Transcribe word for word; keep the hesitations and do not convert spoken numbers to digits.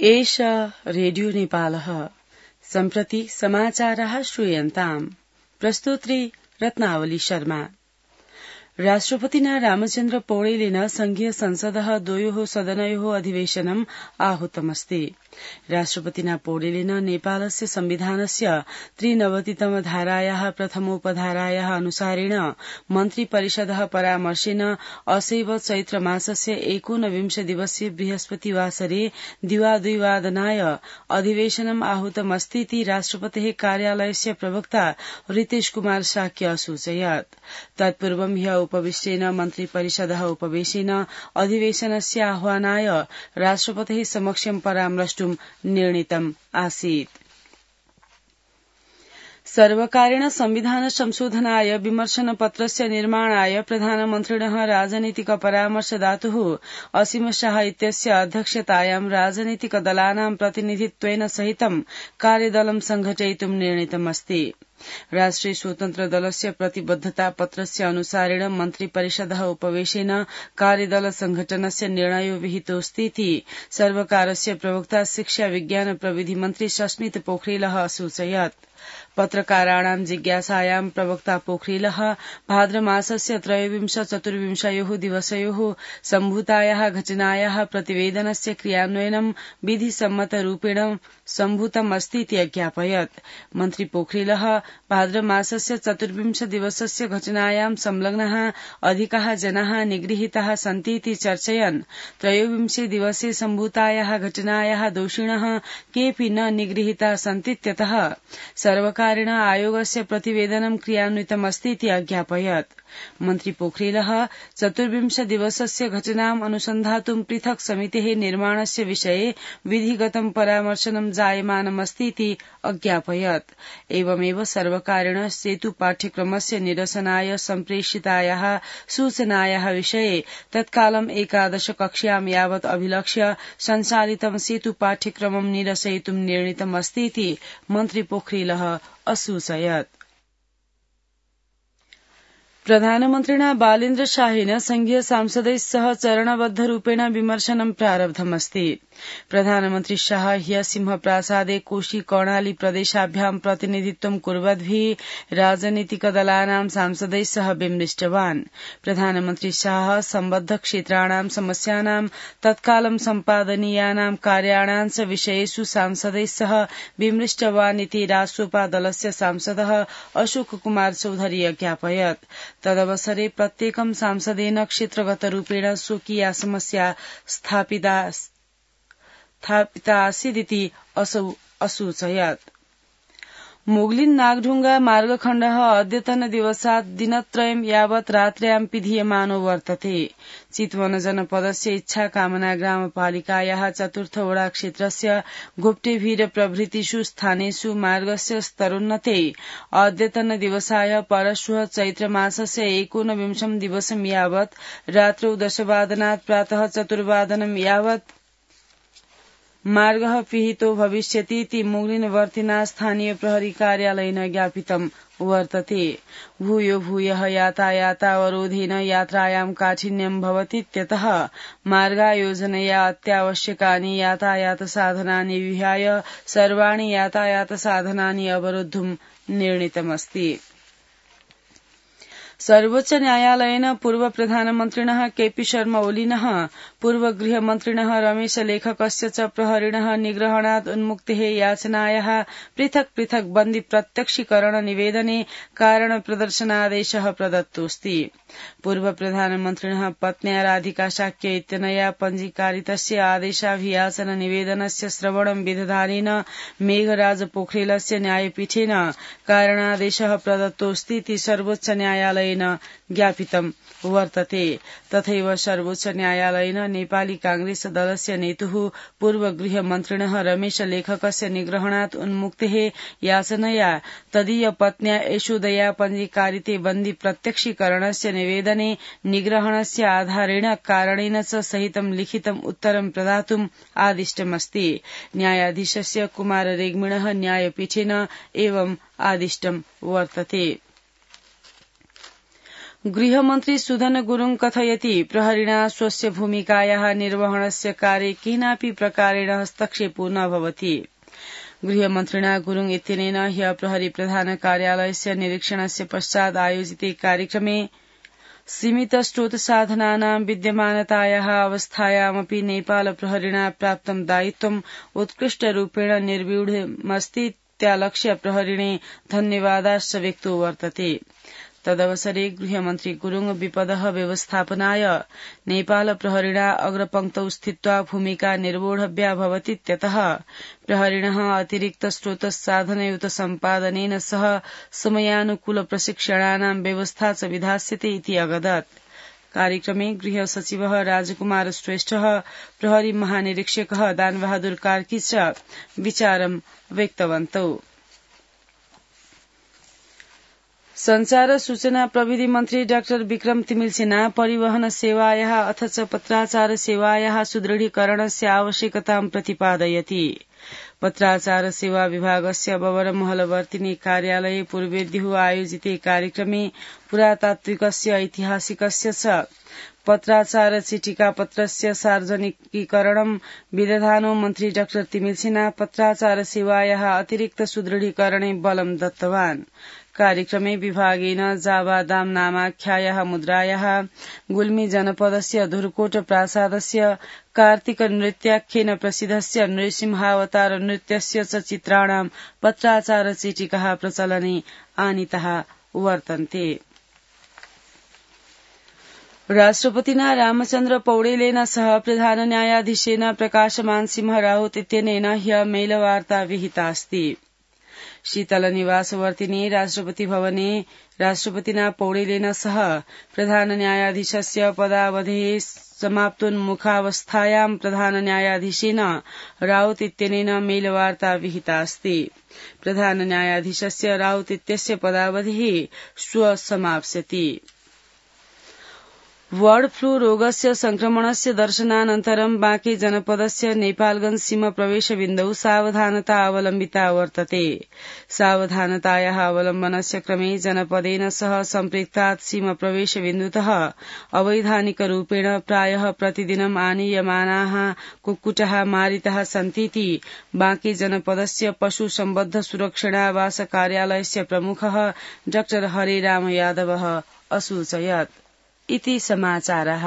एष रेडियो नेपालः सम्प्रति समाचारः श्रूयन्ताम् प्रस्तोत्री रत्नावली शर्मा। राष्ट्रपतिना रामचन्द्र पौडेलेन संघीय संसदः द्वयोः सदनयोः अधिवेशनम् आहूतमस्ति। राष्ट्रपतिना पौडेलेन नेपालस्य संविधानस्य त्रिनवतितम धारायाः प्रथमोपधारायाः अनुसारेण मन्त्री परिषदः परामर्शेन असैव चैत्र मासस्य एकोनविंश दिवसीय बृहस्पतिवासरे दिवाद्विवादनाय अधिवेशनम् आहूतमस्तीति राष्ट्रपतेः कार्यालयस्य प्रवक्ता रितेश कुमार शाक्य असूचयत्। तत्पूर्वं ह्य उपविष्टेन मन्त्री परिषदः उपवेशेन अधिवेशनस्य आह्वानाय राष्ट्रपतेः समक्षं परामर्ष्टुं निर्णीतम् आसीत्। सर्वकारेण संविधान संशोधनाय विमर्शन पत्रस्य निर्माणाय प्रधानमन्त्रिणः राजनीतिक परामर्श दातुः असीम शाह इत्यस्य अध्यक्षतायां राजनीतिक दलानां प्रतिनिधित्वेन सहितं कार्यदलं संघटयितुं निर्णीतमस्ति। राष्ट्रिय स्वतन्त्र दलस्य प्रतिबद्धता पत्रस्य अनुसारेण मन्त्री परिषदः उपवेशेन कार्यदल संघटनस्य निर्णयो विहितोऽस्तीति सर्वकारस्य प्रवक्ता शिक्षा विज्ञान प्रविधि मन्त्री सस्मित पोखरेलः असूचयत्। पत्रकाराणां जिज्ञासायां प्रवक्ता पोखरेलः भाद्रमासस्य त्रयोविंश चतुर्विंशयोः दिवसयोः सम्भूतायाः घटनायाः प्रतिवेदनस्य क्रियान्वयनं विधिसम्मतरूपेण सम्भूतमस्तीति अज्ञापयत्। मन्त्री पोखरेलः भाद्रमासस्य चतुर्विंश दिवसस्य घटनायां संलग्नाः अधिकाः जनाः निगृहीताः सन्तीति चर्चयन् त्रयोविंशे दिवसे सम्भूतायाः घटनायाः दोषिणः केऽपि न निगृहीताः सन्तीत्यतः सर्वकारेण आयोगस्य प्रतिवेदनं क्रियान्वितमस्तीति अज्ञापयत्। मन्त्री पोखरेलः चतुर्विंश दिवसस्य घटनाम् अनुसन्धातुं पृथक् समितेः निर्माणस्य विषये विधिगतं परामर्शनं जायमानमस्तीति अज्ञापयत्। एवमेव सर्वकारेण सेतु पाठ्यक्रमस्य निरसनाय सम्प्रेषितायाः सूचनायाः विषये तत्कालं एकादश कक्ष्यां यावत् अभिलक्ष्य संचालितं सेतु पाठ्यक्रमं निरसयितुं निर्णीतमस्तीति मन्त्री पोखरेलः असूचयत्। प्रधानमन्त्रिणा बालेन्द्र शाहेन संघीय सांसदैः सह चरणबद्ध रूपेण विमर्शनं प्रारब्धमस्ति। प्रधानमन्त्री शाह ह्य सिंहप्रासादे कोशी कर्णाली प्रदेशाभ्यां प्रतिनिधित्वं कुर्वद्भिः राजनीतिक दलानां सांसदैः सह विमृष्टवान्। प्रधानमन्त्री शाह सम्बद्ध क्षेत्राणां समस्यानां तत्कालं सम्पादनीयानां कार्याणां च विषयेषु सांसदैः सह विमृष्टवान् इति राष्ट्रपा दलस्य सांसदः अशोक कुमार चौधरी अज्ञापयत्। तदवसरे प्रत्येकं सांसदेन क्षेत्रगतरूपेण स्वकीया समस्या स्थापिता आसीदिति असौ असूचयत्। मोगलिन नागढुंगा मार्गखण्डः अद्यतन दिवसात् दिनत्रयं यावत् रात्र्यां पिधीयमानो वर्तते। चितवन जनपदस्य इच्छा कामना ग्रामपालिकायाः चतुर्थ वडा क्षेत्रस्य गुप्टेभीर प्रभृतिषु स्थानेषु मार्गस्य स्तरोन्नते अद्यतन दिवसाय परश्वः चैत्र मासस्य एकोनविंशं दिवसं यावत् रात्रौ दशवादनात् प्रातः चतुर्वादनं यावत् मार्गः पिहितो भविष्यतीति मोगलिनवर्तिना स्थानीय प्रहरी कार्यालयेन ज्ञापितं वर्तते। भूयो भूयः यातायातावरोधेन यात्रायां काठिन्यं भवतीत्यतः मार्गायोजनया अत्यावश्यकानि यातायातसाधनानि विहाय सर्वाणि यातायातसाधनानि अवरोद्धुं निर्णीतमस्ति। सर्वोच्च न्यायालयेन पूर्व प्रधानमन्त्रिणः केपी शर्मा ओलीनः पूर्व गृहमन्त्रिणः रमेश लेखकस्य च प्रहरिणः निग्रहणात् उन्मुक्तेः याचनायाः पृथक् पृथक् बन्दी प्रत्यक्षीकरण निवेदने कारण प्रदर्शनादेशः प्रदत्तोऽस्ति। पूर्व प्रधानमन्त्रिणः पत्न्या राधिका शाक्य इत्यनया पञ्जीकारितस्य आदेशाभियाचन निवेदनस्य श्रवणं विदधानेन मेघराज पोखरेलस्य न्यायपीठेन कारणादेशः प्रदत्तोऽस्तीति सर्वोच्च न्यायालय ज्ञापितं वर्तते। तथैव सर्वोच्च न्यायालयेन नेपाली कांग्रेस दलस्य नेतुः पूर्व गृहमन्त्रिणः रमेश लेखकस्य निग्रहणात् उन्मुक्तेः याचनया तदीय पत्न्या यशोदया पञ्जीकारिते बन्दी प्रत्यक्षीकरणस्य निवेदने निग्रहणस्य आधारेण कारणेन च सहितं लिखितम् उत्तरं प्रदातुम् आदिष्टमस्ति। न्यायाधीशस्य कुमार रेग्मिणः न्यायपीठेन एवम् आदिष्टं वर्तते। गृहमन्त्री सुधन गुरुङ कथयति प्रहरिणा स्वस्य भूमिकायाः निर्वहणस्य कार्ये केनापि प्रकारेण हस्तक्षेपो न भवति। गृहमन्त्रिणा गुरुङ इत्यनेन ह्य प्रहरी प्रधान कार्यालयस्य निरीक्षणस्य पश्चात् आयोजिते कार्यक्रमे सीमित स्रोत साधनानां विद्यमानतायाः अवस्थायामपि नेपाल प्रहरिणा प्राप्तं दायित्वम् उत्कृष्टरूपेण निर्व्यूढमस्तीत्यालक्ष्य प्रहरिणे धन्यवादाश्च व्यक्तो वर्तते। तदवसरे गृहमन्त्री गुरुङ विपदः व्यवस्थापनाय नेपाल प्रहरिणा अग्रपङ्क्तौ स्थित्वा भूमिका निर्वोढव्या भवतीत्यतः प्रहरिणः अतिरिक्त स्रोत साधनयुत सम्पादनेन सह समयानुकूल प्रशिक्षणानां व्यवस्था च विधास्यते इति अवदत्। कार्यक्रमे गृह सचिवः राजकुमार श्रेष्ठः प्रहरी महानिरीक्षकः दानबहादुर कार्की च विचारं व्यक्तवन्तौ। संचार सूचना प्रविधि मन्त्री डाक्टर विक्रम तिमिल सिन्हा परिवहन सेवायाः अथ च पत्राचार सेवायाः सुदृढीकरणस्य आवश्यकतां प्रतिपादयति। पत्राचार सेवा विभागस्य बबरमहलवर्तिनी कार्यालये पूर्वेद्युः आयोजिते कार्यक्रमे पुरातात्विकस्य ऐतिहासिकस्य च पत्राचार चिटिका पत्रस्य सार्वजनिकीकरणं विदधानो मन्त्री डाक्टर तिमिल सिन्हा पत्राचार सेवायाः अतिरिक्त सुदृढीकरणे बलं दत्तवान्। कार्यक्रमे विभागेन जावादाम नामाख्यायाः मुद्रायाः गुल्मी जनपदस्य धुर्कोट प्रासादस्य कार्तिक नृत्याख्येन प्रसिद्धस्य नृसिंहावतार नृत्यस्य च चित्राणां पत्राचार चिटिकाः प्रचलने आनीताः वर्तन्ते। राष्ट्रपतिना रामचन्द्र पौडेलेन सह प्रधान न्यायाधीशेन प्रकाशमान सिंह राउत इत्यनेन ह्य मेलवार्ता विहितास्ति। शीतलनिवासवर्तिनी राष्ट्रपति भवने राष्ट्रपतिना पौडेलेन सह प्रधान न्यायाधीशस्य पदावधेः समाप्तोन्मुखावस्थायां प्रधान न्यायाधीशेन राउत इत्यनेन मेलवार्ता विहितास्ति। प्रधान न्यायाधीशस्य राउत इत्यस्य पदावधिः श्वः समाप्स्यति। बर्ड फ्लू रोगस्य संक्रमणस्य दर्शनानन्तरं बाँके जनपदस्य नेपालगंज सीमा प्रवेशबिन्दौ सावधानता अवलम्बिता वर्तते। सावधानतायाः अवलम्बनस्य क्रमे जनपदेन सह सम्पृक्तात् सीमा प्रवेशबिन्दुतः अवैधानिकरूपेण प्रायः प्रतिदिनम् आनीयमानाः कुक्कुटाः मारिताः सन्तीति बाँके जनपदस्य पशु सम्बद्ध सुरक्षणावास कार्यालयस्य प्रमुखः डाक्टर हरेराम यादवः असूचयत्। इति समाचारः।